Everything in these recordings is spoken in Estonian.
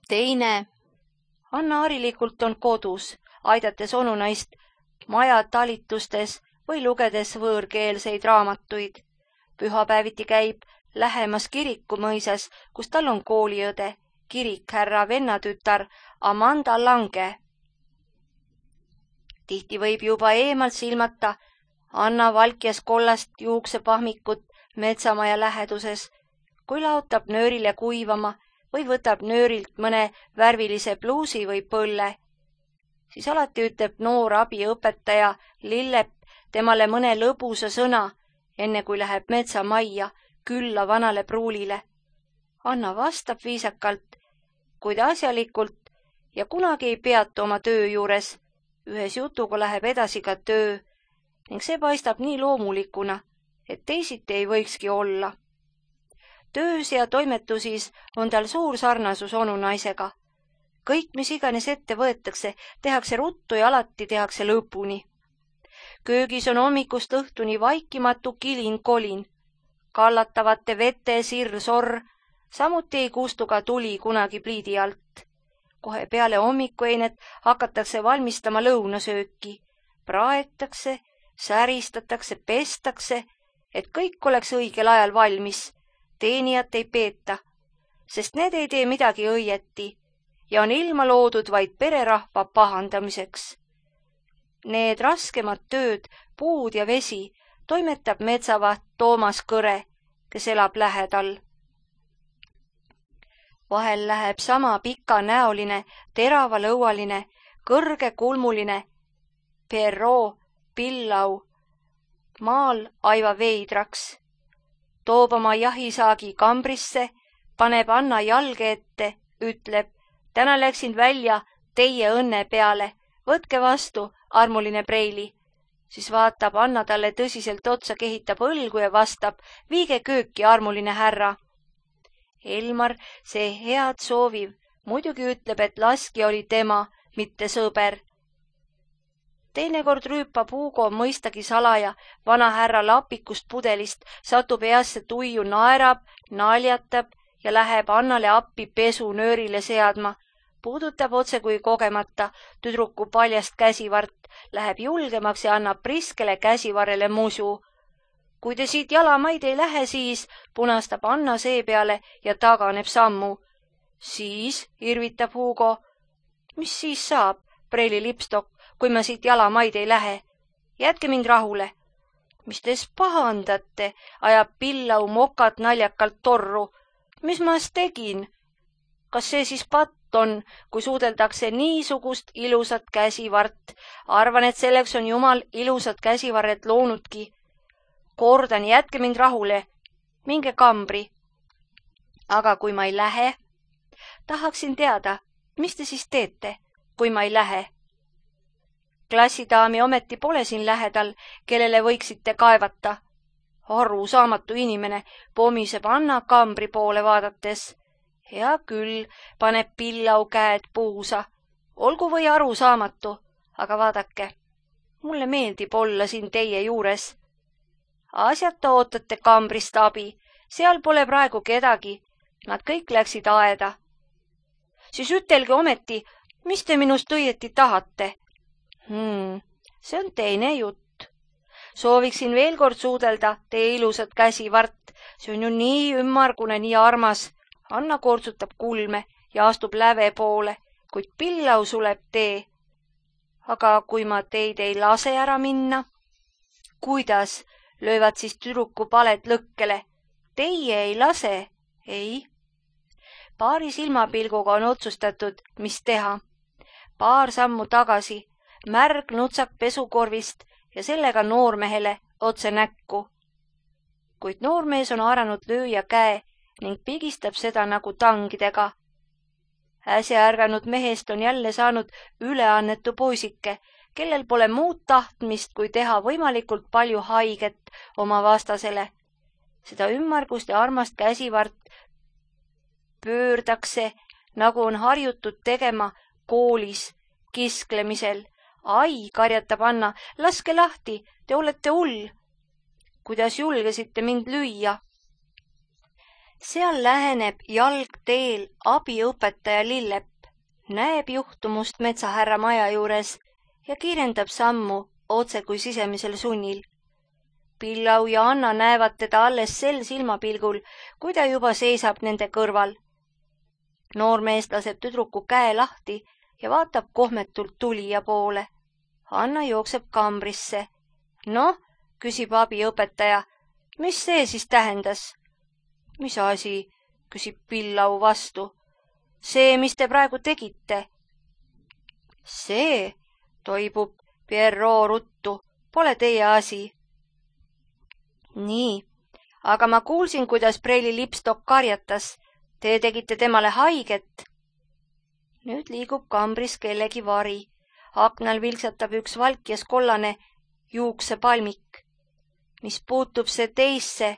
teine. Anna harilikult on kodus, aidates onunaist maja talitustes või lugedes võõrkeelseid raamatuid. Pühapäeviti käib lähemas kirikumõisas, kus tal on kooliõde, kirikhärra vennatütar Amanda Lange. Tihti võib juba eemalt silmata Anna valkjas kollast juuksepahmikut metsamaja läheduses, kui laotab nöörile kuivama või võtab nöörilt mõne värvilise pluusi või põlle. Siis alati ütleb noor abiõpetaja Lillep temale mõne lõbusa sõna, enne kui läheb metsamajja külla vanale pruulile. Anna vastab viisakalt, kuid asjalikult ja kunagi ei peatu oma töö juures. Ühes jutuga läheb edasi ka töö ning see paistab nii loomulikuna, et teisiti ei võikski olla. Töös ja toimetusis on tal suur sarnasus onunaisega. Kõik, mis iganes ette võetakse, tehakse ruttu ja alati tehakse lõpuni. Köögis on hommikust õhtuni vaikimatu kilin-kolin. Kallatavate vete sirr-sorr, samuti ei kustu ka tuli kunagi pliidi alt. Kohe peale hommikueinet hakatakse valmistama lõunasööki. Praetakse, säristatakse, pestakse, et kõik oleks õigel ajal valmis. Teenijat ei peeta, sest need ei tee midagi õieti ja on ilma loodud vaid pererahva pahandamiseks. Need raskemad tööd, puud ja vesi, toimetab metsavaht Toomas Kõre, kes elab lähedal. Vahel läheb sama pikanäoline, teravalõualine, kõrgekulmuline Perro Pillau maal aiva veidraks. Toob oma jahisaagi kambrisse, paneb Anna jalge ette, ütleb, täna läksin välja teie õnne peale, võtke vastu, armuline Preili. Siis vaatab Anna talle tõsiselt otsa, kehitab õlgu ja vastab, viige kööki, armuline härra. Elmar, see head sooviv, muidugi ütleb, et laski oli tema, mitte sõber. Teinekord rüüpab Hugo mõistagi salaja vana härra lapikust pudelist, satub heasse tuiu, naerab, naljatab ja läheb Annale appi pesunöörile seadma, puudutab otse kui kogemata tüdruku paljast käsivart, läheb julgemaks ja annab priskele käsivarrele musu. Kui te siit jalamaid ei lähe, siis punastab Anna seepeale ja taganeb sammu. Siis irvitab Hugo. Mis siis saab, Preili lipstok, kui ma siit jalamaid ei lähe? Jätke mind rahule. Mis tees pahandate, ajab Pillau mokat naljakalt torru. Mis ma tegin? Kas see siis patt on, kui suudeldakse niisugust ilusat käsivart? Arvan, et selleks on Jumal ilusat käsivarret loonudki. Kordan, jätke mind rahule. Minge kambri. Aga kui ma ei lähe? Tahaksin teada, mis te siis teete, kui ma ei lähe? Klassidaami ometi pole siin lähedal, kellele võiksite kaevata. Arusaamatu inimene, pomiseb Anna kambri poole vaadates. Hea küll, paneb Pillau käed puusa. Olgu või arusaamatu, aga vaadake, mulle meeldib olla siin teie juures. Asjata ootate kambrist abi, seal pole praegu kedagi, nad kõik läksid aeda. Siis ütelge ometi, mis te minust õieti tahate? See on teine jutt. Sooviksin veel kord suudelda teie ilusat käsivart, see on ju nii ümmargune, nii armas. Anna kortsutab kulme ja astub läve poole, kuid Pillau suleb tee. Aga kui ma teid ei lase ära minna? Kuidas? Löövad siis tüdruku paled lõkkele. Teie ei lase? Ei. Paari silmapilguga on otsustatud, mis teha. Paar sammu tagasi, märg nutsak pesukorvist ja sellega noormehele otse näkku. Kuid noormees on haaranud lööja käe ning pigistab seda nagu tangidega. Äsja ärganud mehest on jälle saanud üleannetu poisike, kellel pole muud tahtmist, kui teha võimalikult palju haiget oma vastasele. Seda ümmargust ja armast käsivart pöördakse, nagu on harjutud tegema koolis, kisklemisel. Ai, karjatab Anna, laske lahti, te olete hull. Kuidas julgesite mind lüüa? Seal läheneb jalgteel abiõpetaja Lillepp, näeb juhtumust metsahärra maja juures ja kiirendab sammu otse kui sisemisel sunnil. Pillau ja Anna näevad teda alles sel silmapilgul, kui ta juba seisab nende kõrval. Noormees laseb tüdruku käe lahti ja vaatab kohmetult tulija poole. Anna jookseb kambrisse. Noh, küsib abiõpetaja, mis see siis tähendas? Mis asi, küsib Pillau vastu. See, mis te praegu tegite. See, toibub Pierrot ruttu, pole teie asi. Nii, aga ma kuulsin, kuidas preili lipstok karjatas. Te tegite temale haiget. Nüüd liigub kambris kellegi vari. Aknal vilksatab üks valkjas kollane juuksepalmik. Mis puutub see teisse?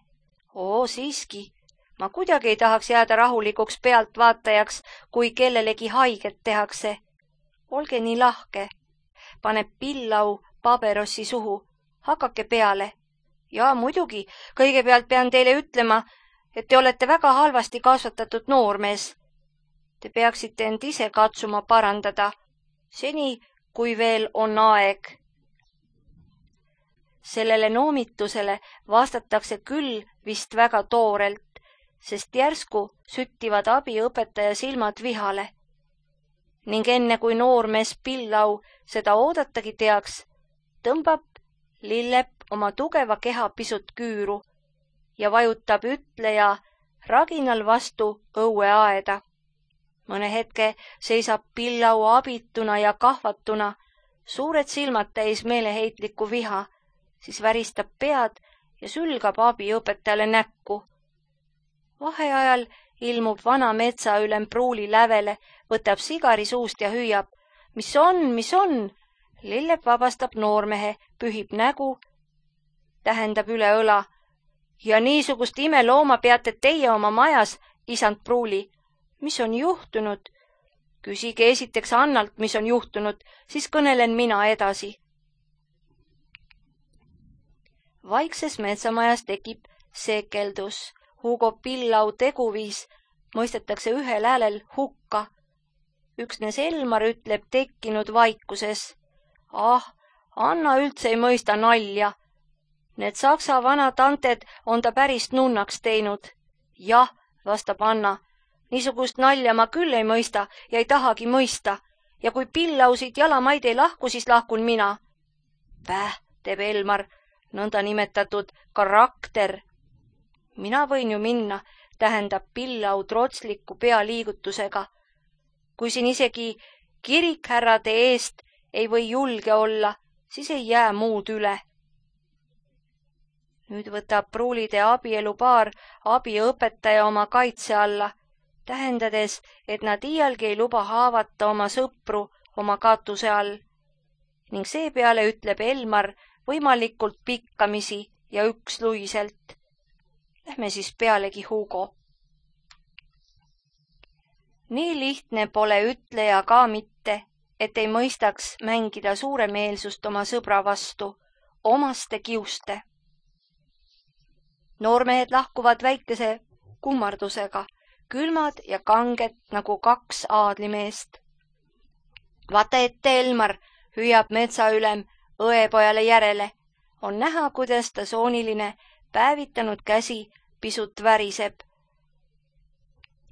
Siiski. Ma kuidagi ei tahaks jääda rahulikuks pealtvaatajaks, kui kellelegi haiget tehakse. Olge nii lahke. Paneb Pillau paberossi suhu. Hakake peale. Ja muidugi, kõigepealt pean teile ütlema, et te olete väga halvasti kasvatatud noormees. Te peaksite end ise katsuma parandada, seni kui veel on aeg. Sellele noomitusele vastatakse küll vist väga toorelt, sest järsku süttivad abiõpetaja silmad vihale. Ning enne kui noormees Pillau seda oodatagi teaks, tõmbab Lillepp oma tugeva keha pisut küüru ja vajutab ütleja raginal vastu õueaeda. Mõne hetke seisab Pillau abituna ja kahvatuna, suured silmad täis meeleheitlikku viha, siis väristab pead ja sülgab abiõpetajale näkku. Vaheajal ilmub vana metsaülem pruuli lävele, võtab sigari suust ja hüüab. Mis on? Lillepp vabastab noormehe, pühib nägu, tähendab üle õla. Ja niisugust imelooma peate teie oma majas, isand pruuli. Mis on juhtunud? Küsige esiteks Annalt, mis on juhtunud, siis kõnelen mina edasi. Vaikses metsamajas tekib sekeldus. Hugo Pillau teguviis mõistetakse ühel häälel hukka. Üksnes Elmar ütleb tekkinud vaikuses. Anna üldse ei mõista nalja. Need saksa vanad anted on ta päris nunnaks teinud. Jah, vastab Anna. Niisugust nalja ma küll ei mõista ja ei tahagi mõista. Ja kui Pillau siit jalamaid ei lahku, siis lahkun mina. Teeb Elmar, nõnda nimetatud karakter. Mina võin ju minna, tähendab Pillau trotsliku pealiigutusega. Kui siin isegi kirikhärrade eest ei või julge olla, siis ei jää muud üle. Nüüd võtab pruulide abielupaar abiõpetaja oma kaitse alla, tähendades, et nad iialgi ei luba haavata oma sõpru oma katuse all. Ning seepeale ütleb Elmar võimalikult pikkamisi ja üksluiselt. Lähme siis pealegi, Hugo. Nii lihtne pole ütleja ka mitte, et ei mõistaks mängida suuremeelsust oma sõbra vastu, omaste kiuste. Noormehed lahkuvad väikese kummardusega, külmad ja kanged nagu kaks aadlimeest. Vaata ette, Elmar, hüüab metsaülem õepojale järele. On näha, kuidas ta sooniline päevitanud käsi pisut väriseb.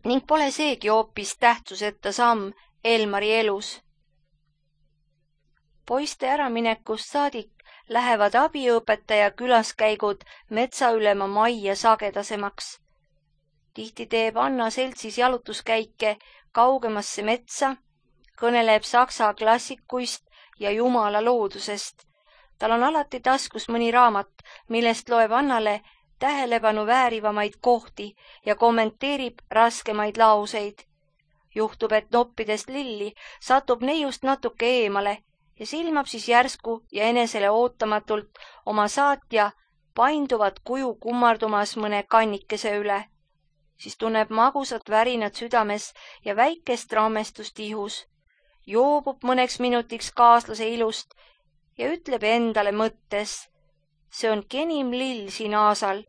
Ning pole seegi hoopis tähtsuseta samm Elmari elus. Poiste äraminekust saadik lähevad abiõpetaja külaskäigud metsaülema majja sagedasemaks. Tihti teeb Anna seltsis jalutuskäike kaugemasse metsa, kõneleb saksa klassikuist ja jumala loodusest. Tal on alati taskus mõni raamat, millest loeb Annale tähelepanu väärivamaid kohti ja kommenteerib raskemaid lauseid. Juhtub, et noppides lilli satub neiust natuke eemale ja silmab siis järsku ja enesele ootamatult oma saatja painduvat kuju kummardumas mõne kannikese üle. Siis tunneb magusat värinat südames ja väikest rammestust ihus. Joobub mõneks minutiks kaaslase ilust ja ütleb endale mõttes, see on kenim lill siin aasal,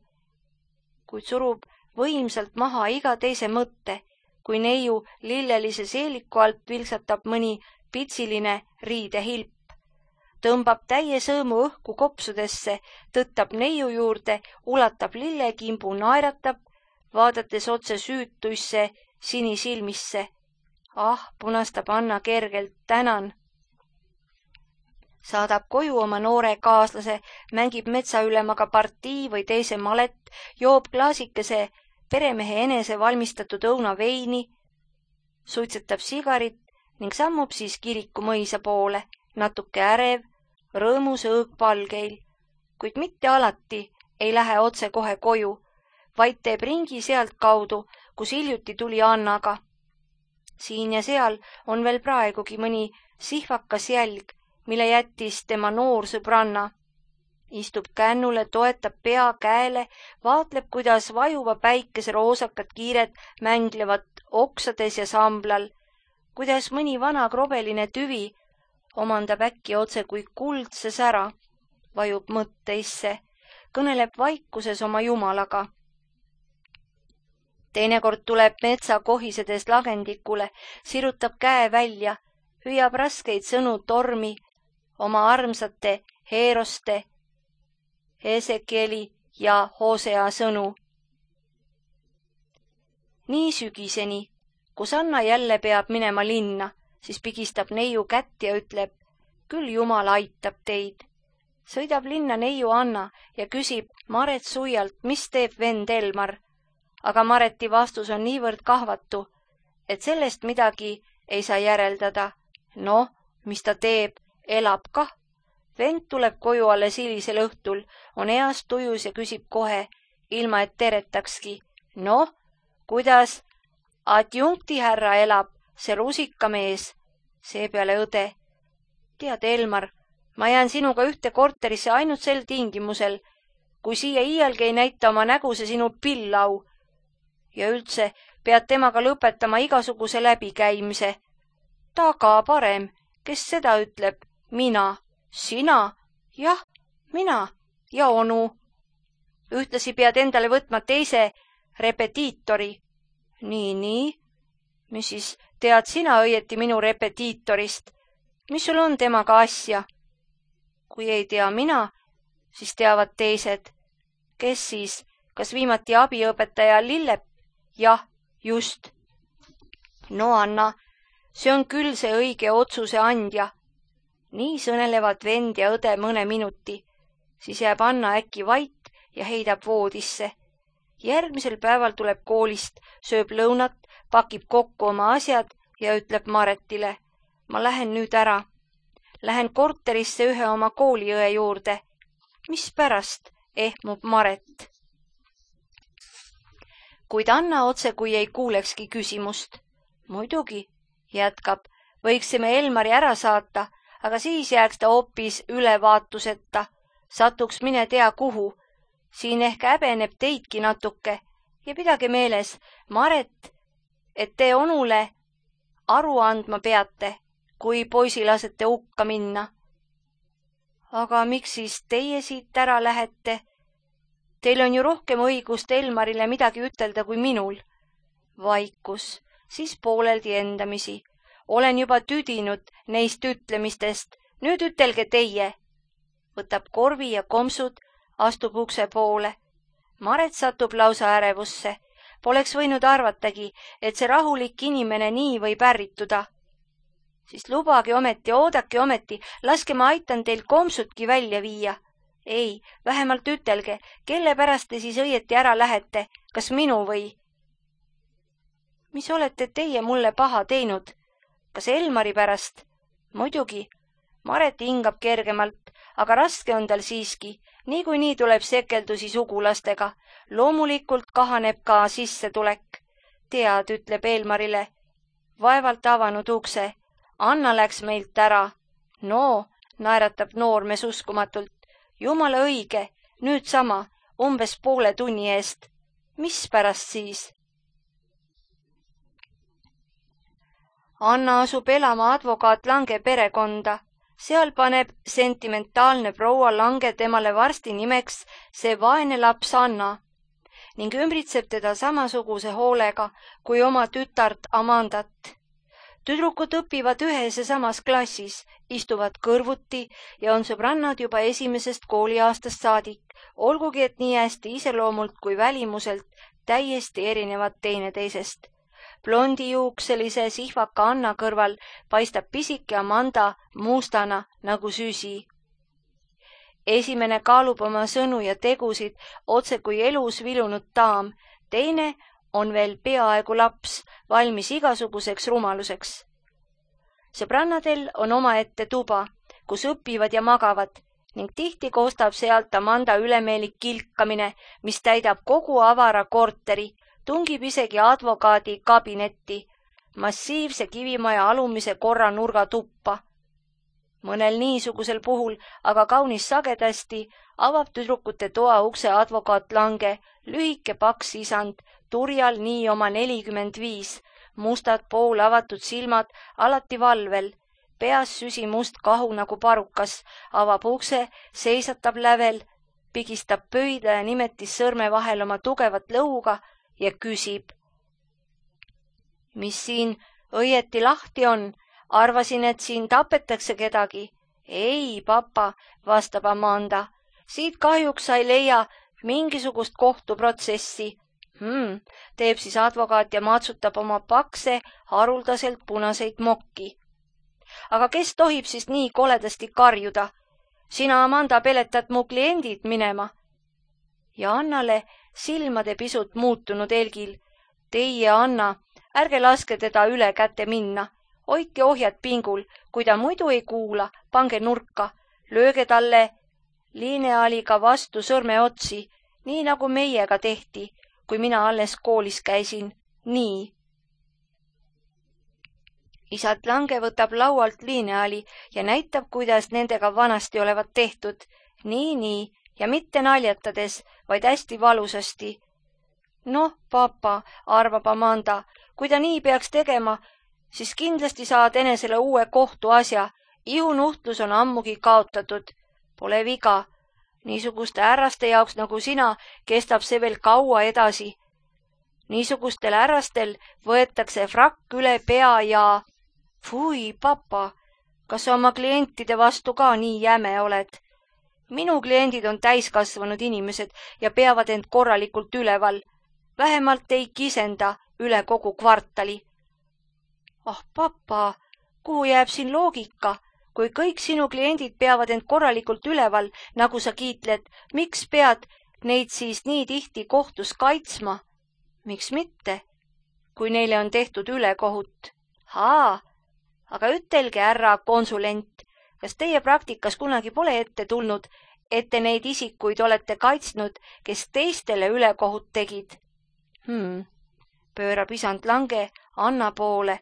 kuid surub võimsalt maha iga teise mõtte, kui neiu lillelise seeliku alt vilksatab mõni pitsiline riidehilp. Tõmbab täie sõõmu õhku kopsudesse, tõttab neiu juurde, ulatab lillekimbu, naeratab, vaadates otse süütuisse sinisilmisse. Ah, punastab Anna kergelt, tänan. Saadab koju oma noore kaaslase, mängib metsaülemaga partii või teise malet, joob klaasikese peremehe enese valmistatud õunaveini, suitsetab sigarit ning sammub siis kiriku mõisa poole, natuke ärev, rõõmus õõgpalgeil, kuid mitte alati ei lähe otse kohe koju, vaid teeb ringi sealt kaudu, kus hiljuti tuli Annaga. Siin ja seal on veel praegugi mõni sihvakas jälg, mille jättis tema noor sõbranna. Istub kännule, toetab pea käele, vaatleb, kuidas vajuva päikese roosakad kiired mänglevad oksades ja samblal, kuidas mõni vana krobeline tüvi omandab äkki otse kui kuldse sära, vajub mõtteisse, kõneleb vaikuses oma jumalaga. Teinekord tuleb metsa kohisedes lagendikule, sirutab käe välja, hüüab raskeid sõnu tormi, oma armsate Heeroste, Esekieli ja Hosea sõnu. Nii sügiseni, kus Anna jälle peab minema linna, siis pigistab neiu kätt ja ütleb, küll Jumal aitab teid. Sõidab linna neiu Anna ja küsib Maret Suialt, mis teeb vend Elmar. Aga Mareti vastus on niivõrd kahvatu, et sellest midagi ei saa järeldada. Noh, mis ta teeb, elab kah. Vend tuleb koju alles hilisel õhtul, on eas tujus ja küsib kohe, ilma et teretakski. Noh, kuidas adjunkti härra elab, see rusikamees, seepeale õde. Tead, Elmar, ma jään sinuga ühte korterisse ainult sel tingimusel, kui siia iialgi ei näita oma nägu see sinu pillau. Ja üldse pead temaga lõpetama igasuguse läbikäimise. Taga parem, kes seda ütleb? Mina. Sina? Jah, mina ja onu. Ühtlasi pead endale võtma teise repetiitori. Nii. Mis siis tead sina õieti minu repetiitorist? Mis sul on temaga asja? Kui ei tea mina, siis teavad teised. Kes siis? Kas viimati abiõpetaja Lillep? Jah, just. No Anna, see on küll see õige otsuse andja. Nii sõnelevad vend ja õde mõne minuti. Siis jääb Anna äkki vait ja heidab voodisse. Järgmisel päeval tuleb koolist, sööb lõunat, pakib kokku oma asjad ja ütleb Maretile, ma lähen nüüd ära. Lähen korterisse ühe oma kooliõe juurde. Mispärast, ehmub Maret. Kuid Anna otse kui ei kuulekski küsimust. Muidugi, jätkab, võiksime Elmari ära saata, aga siis jääks ta hoopis ülevaatuseta, satuks mine tea kuhu. Siin ehk häbeneb teidki natuke ja pidage meeles, Maret, et te onule aru andma peate, kui poisi lasete hukka minna. Aga miks siis teie siit ära lähete? Teil on ju rohkem õigust Elmarile midagi ütelda kui minul. Vaikus, siis pooleldi endamisi. Olen juba tüdinud neist ütlemistest. Nüüd ütelge teie. Võtab korvi ja kompsud, astub ukse poole. Maret satub lausa ärevusse. Poleks võinud arvatagi, et see rahulik inimene nii võib ärrituda. Siis lubage ometi, oodake ometi, laske ma aitan teil kompsudki välja viia. Ei, vähemalt ütelge, kelle pärast te siis õieti ära lähete, kas minu või? Mis olete teie mulle paha teinud? Kas Elmari pärast? Muidugi. Maret hingab kergemalt, aga raske on tal siiski. Niikuinii tuleb sekeldusi sugulastega. Loomulikult kahaneb ka sissetulek. Tead, ütleb Elmarile. Vaevalt avanud ukse. Anna läks meilt ära. No, naeratab noormees uskumatult. Jumala õige, nüüd sama, umbes poole tunni eest. Mis pärast siis? Anna asub elama advokaat Lange perekonda. Seal paneb sentimentaalne proua Lange temale varsti nimeks see vaene laps Anna. ning ümbritseb teda samasuguse hoolega kui oma tütart Amandat. Tüdrukud õpivad ühes ja samas klassis, istuvad kõrvuti ja on sõbrannad juba esimesest kooliaastast saadik, olgugi et nii hästi iseloomult kui välimuselt täiesti erinevad teineteisest. Blondijuukselise sihvaka Anna kõrval paistab pisike Amanda mustana nagu süsi. Esimene kaalub oma sõnu ja tegusid otse kui elus vilunud daam, teine on veel peaaegu laps, valmis igasuguseks rumaluseks. Sõbrannadel on omaette tuba, kus õpivad ja magavad ning tihti koostab sealt Amanda ülemeelik kilkamine, mis täidab kogu avara korteri, tungib isegi advokaadi kabinetti, massiivse kivimaja alumise korra nurgatuppa. Mõnel niisugusel puhul, aga kaunis sagedasti, avab tüdrukute toa ukse advokaat Lange, lühike paks isand, turjal nii oma 45, mustad poolavatud silmad alati valvel, peas süsimust kahu nagu parukas, avab ukse, seisatab lävel, pigistab pöidla ja nimetis sõrme vahel oma tugevat lõuga ja küsib. Mis siin õieti lahti on? Arvasin, et siin tapetakse kedagi. Ei, papa, vastab Amanda. Siit kahjuks sa ei leia mingisugust kohtuprotsessi. Teeb siis advokaat ja matsutab oma pakse, haruldaselt punaseid mokki. Aga kes tohib siis nii koledasti karjuda? Sina, Amanda, peletad mu kliendid minema. Ja Annale silmade pisut muutunud Elgil. Teie, Anna, ärge laske teda üle käte minna. Hoidke ohjad pingul, kui ta muidu ei kuula, pange nurka, lööge talle lineaaliga vastu sõrmeotsi, nii nagu meiega tehti, kui mina alles koolis käisin. Nii. Isad Lange võtab laualt lineaali ja näitab, kuidas nendega vanasti olevat tehtud. Nii, ja mitte naljatades, vaid hästi valusasti. Noh, papa, arvab Amanda, kui ta nii peaks tegema, siis kindlasti saad enesele uue kohtuasja. Ihunuhtlus on ammugi kaotatud. Pole viga. Niisuguste härraste jaoks nagu sina kestab see veel kaua edasi. Niisugustel härrastel võetakse frakk üle pea ja... Fui, papa, kas sa oma klientide vastu ka nii jäme oled? Minu kliendid on täiskasvanud inimesed ja peavad end korralikult üleval. Vähemalt ei kisenda üle kogu kvartali. Ah, papa, kuhu jääb siin loogika? Kui kõik sinu kliendid peavad end korralikult üleval, nagu sa kiitled, miks pead neid siis nii tihti kohtus kaitsma? Miks mitte? Kui neile on tehtud ülekohut. Aga ütelge, härra konsulent, kas teie praktikas kunagi pole ette tulnud, et te neid isikuid olete kaitsnud, kes teistele ülekohut tegid? Pöörab isand Lange Anna poole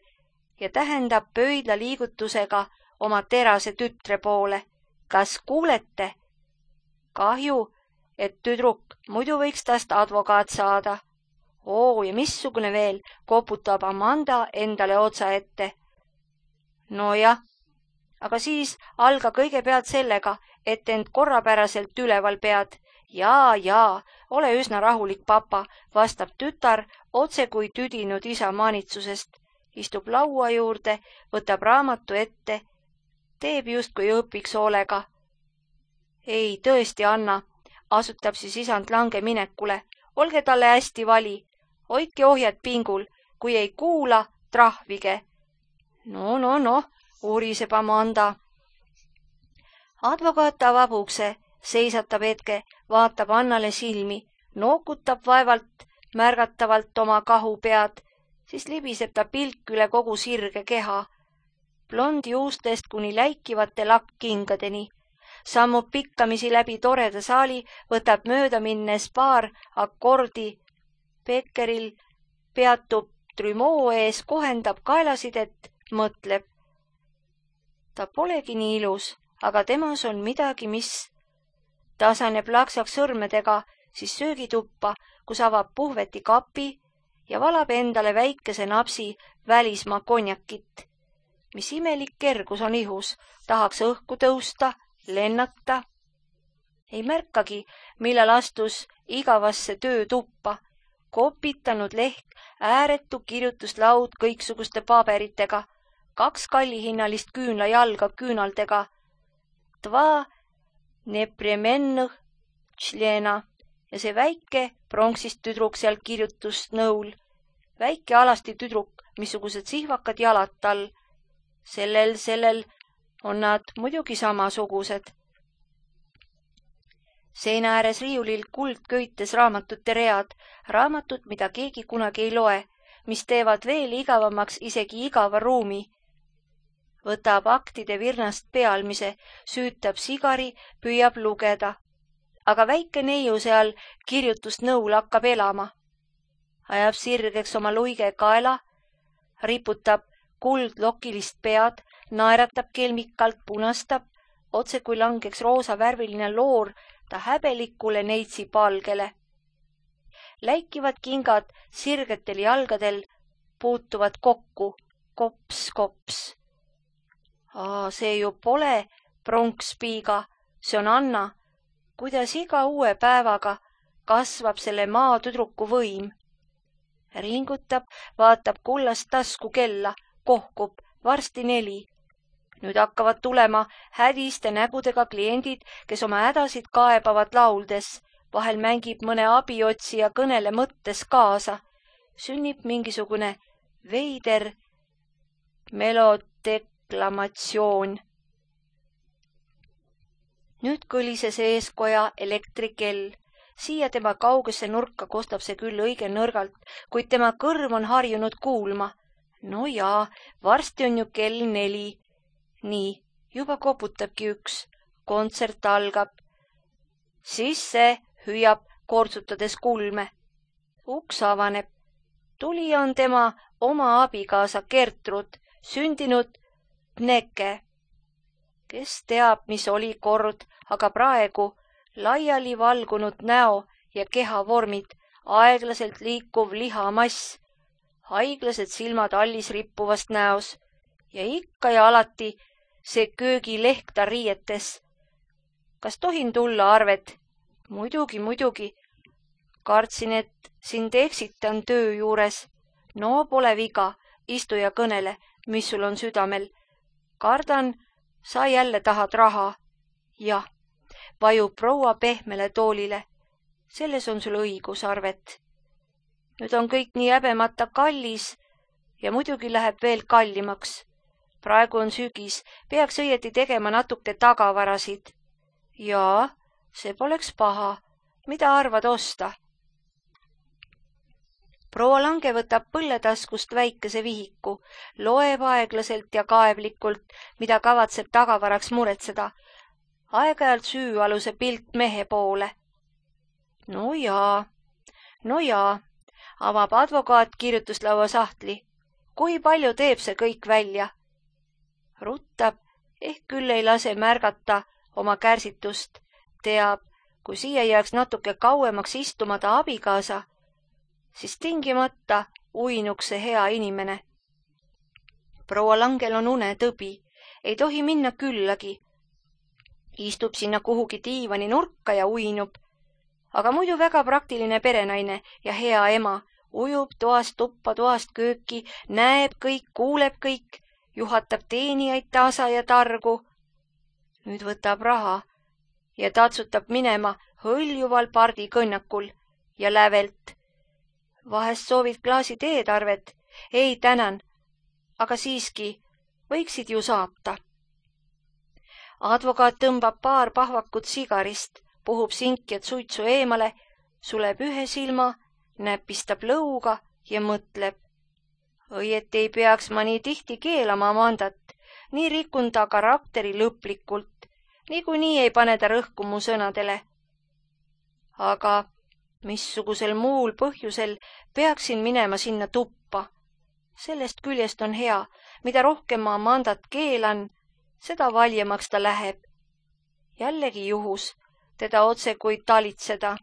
ja tähendab pöidla liigutusega oma terase tütre poole. Kas kuulete? Kahju, et tüdruk, muidu võiks tast advokaat saada. Ja missugune veel, koputab Amanda endale otsa ette. Nojah, aga siis alga kõigepealt sellega, et end korrapäraselt üleval pead. Jaa, ole üsna rahulik, papa, vastab tütar otse kui tüdinud isa maanitsusest. Istub laua juurde, võtab raamatu ette, teeb justkui õpiks hoolega. Ei, tõesti, Anna, asutab siis isand Lange minekule. Olge talle hästi vali. Hoidke ohjad pingul. Kui ei kuula, trahvige. No, uuriseb Amanda. Advokaat avab ukse, seisatab hetke, vaatab Annale silmi, nookutab vaevalt märgatavalt oma kahu pead, siis libiseb ta pilk üle kogu sirge keha. Blondi juustest kuni läikivate lakkkingadeni. Sammub pikkamisi läbi toreda saali, võtab mööda minnes paar akordi. Beckeril peatub trümoo ees, kohendab kaelasidet, mõtleb. Ta polegi nii ilus, aga temas on midagi, mis... Tasaneb laksaks sõrmedega, siis söögituppa, kus avab puhveti kapi ja valab endale väikese napsi välismaa konjakit. Mis imelik kergus on ihus, tahaks õhku tõusta, lennata. Ei märkagi, millal astus igavasse töötuppa, kopitanud leht, ääretu kirjutuslaud kõiksuguste paberitega, 2 kallihinnalist küünlajalga küünaldega, 2 nepremennõh tšlena ja see väike pronksist tüdruk seal kirjutusnõul, väike alasti tüdruk, missugused sihvakad jalad tal. Sellel on nad muidugi samasugused. Seina ääres riiulil kuldköites raamatute read, raamatud, mida keegi kunagi ei loe, mis teevad veel igavamaks isegi igava ruumi. Võtab aktide virnast pealmise, süütab sigari, püüab lugeda. Aga väike neiu seal kirjutusnõul hakkab elama. Ajab sirgeks oma luige kaela, riputab kuldlokilist pead, naeratab kelmikalt, punastab, otse kui langeks roosavärviline loor ta häbelikule neitsi palgele. Läikivad kingad sirgetel jalgadel puutuvad kokku, kops, kops. See ju pole pronkspiiga, see on Anna, kuidas iga uue päevaga kasvab selle maatüdruku võim. Ringutab, vaatab kullast tasku kella, kohkub, varsti 4. Nüüd hakkavad tulema hädiste nägudega kliendid, kes oma hädasid kaebavad lauldes, vahel mängib mõne abiotsija kõnele mõttes kaasa. Sünnib mingisugune veider melodeklamatsioon. Nüüd kõlises eeskoja elektrikell. Siia tema kaugesse nurka kostab see küll õige nõrgalt, kuid tema kõrv on harjunud kuulma. No jaa, varsti on ju kell 4. Nii, juba koputabki 1. Kontsert algab. Sisse hüüab kortsutades kulme. Uks avaneb. Tulija on tema oma abikaasa Gertrud, sündinud Pneke. Kes teab, mis oli kord, aga praegu laiali valgunud näo ja kehavormid, aeglaselt liikuv lihamass, haiglased silmad allis rippuvast näos ja ikka ja alati see köögilehktar riietes. Kas tohin tulla, Arvet? Muidugi. Kartsin, et sind eksitan töö juures. No pole viga, istu ja kõnele, mis sul on südamel. Kardan, sa jälle tahad raha. Jah, vajub proua pehmele toolile. Selles on sul õigus, Arvet. Nüüd on kõik nii häbemata kallis ja muidugi läheb veel kallimaks. Praegu on sügis, peaks õieti tegema natuke tagavarasid. Jaa, see poleks paha. Mida arvad osta? Proua Lange võtab põlletaskust väikese vihiku, loeb aeglaselt ja kaevlikult, mida kavatseb tagavaraks muretseda. Aeg-ajalt süüaluse pilt mehe poole. No jaa, avab advokaat kirjutuslaua sahtli. Kui palju teeb see kõik välja? Ruttab, ehk küll ei lase märgata oma kärsitust. Teab, kui siia jääks natuke kauemaks istuma ta abikaasa, siis tingimata uinuks see hea inimene. Proua Langel on unetõbi, ei tohi minna küllagi. Istub sinna kuhugi diivani nurka ja uinub. Aga muidu väga praktiline perenaine ja hea ema, ujub toast tuppa, toast kööki, näeb kõik, kuuleb kõik, juhatab teenijaid tasa ja targu. Nüüd võtab raha ja tatsutab minema hõljuval pardikõnnakul ja lävelt. Vahest soovid klaasi teed, Arvet? Ei, tänan, aga siiski võiksid ju saata. Advokaat tõmbab paar pahvakut sigarist, puhub sinkjad suitsu eemale, suleb ühe silma, näpistab lõuga ja mõtleb. Õieti ei peaks ma nii tihti keelama Amandat, nii rikun ta karakteri lõplikult, niikuinii ei pane ta rõhku mu sõnadele. Aga missugusel muul põhjusel peaksin minema sinna tuppa? Sellest küljest on hea, mida rohkem ma Amandat keelan, seda valjemaks ta läheb. Jällegi juhus teda otse kui talitseda.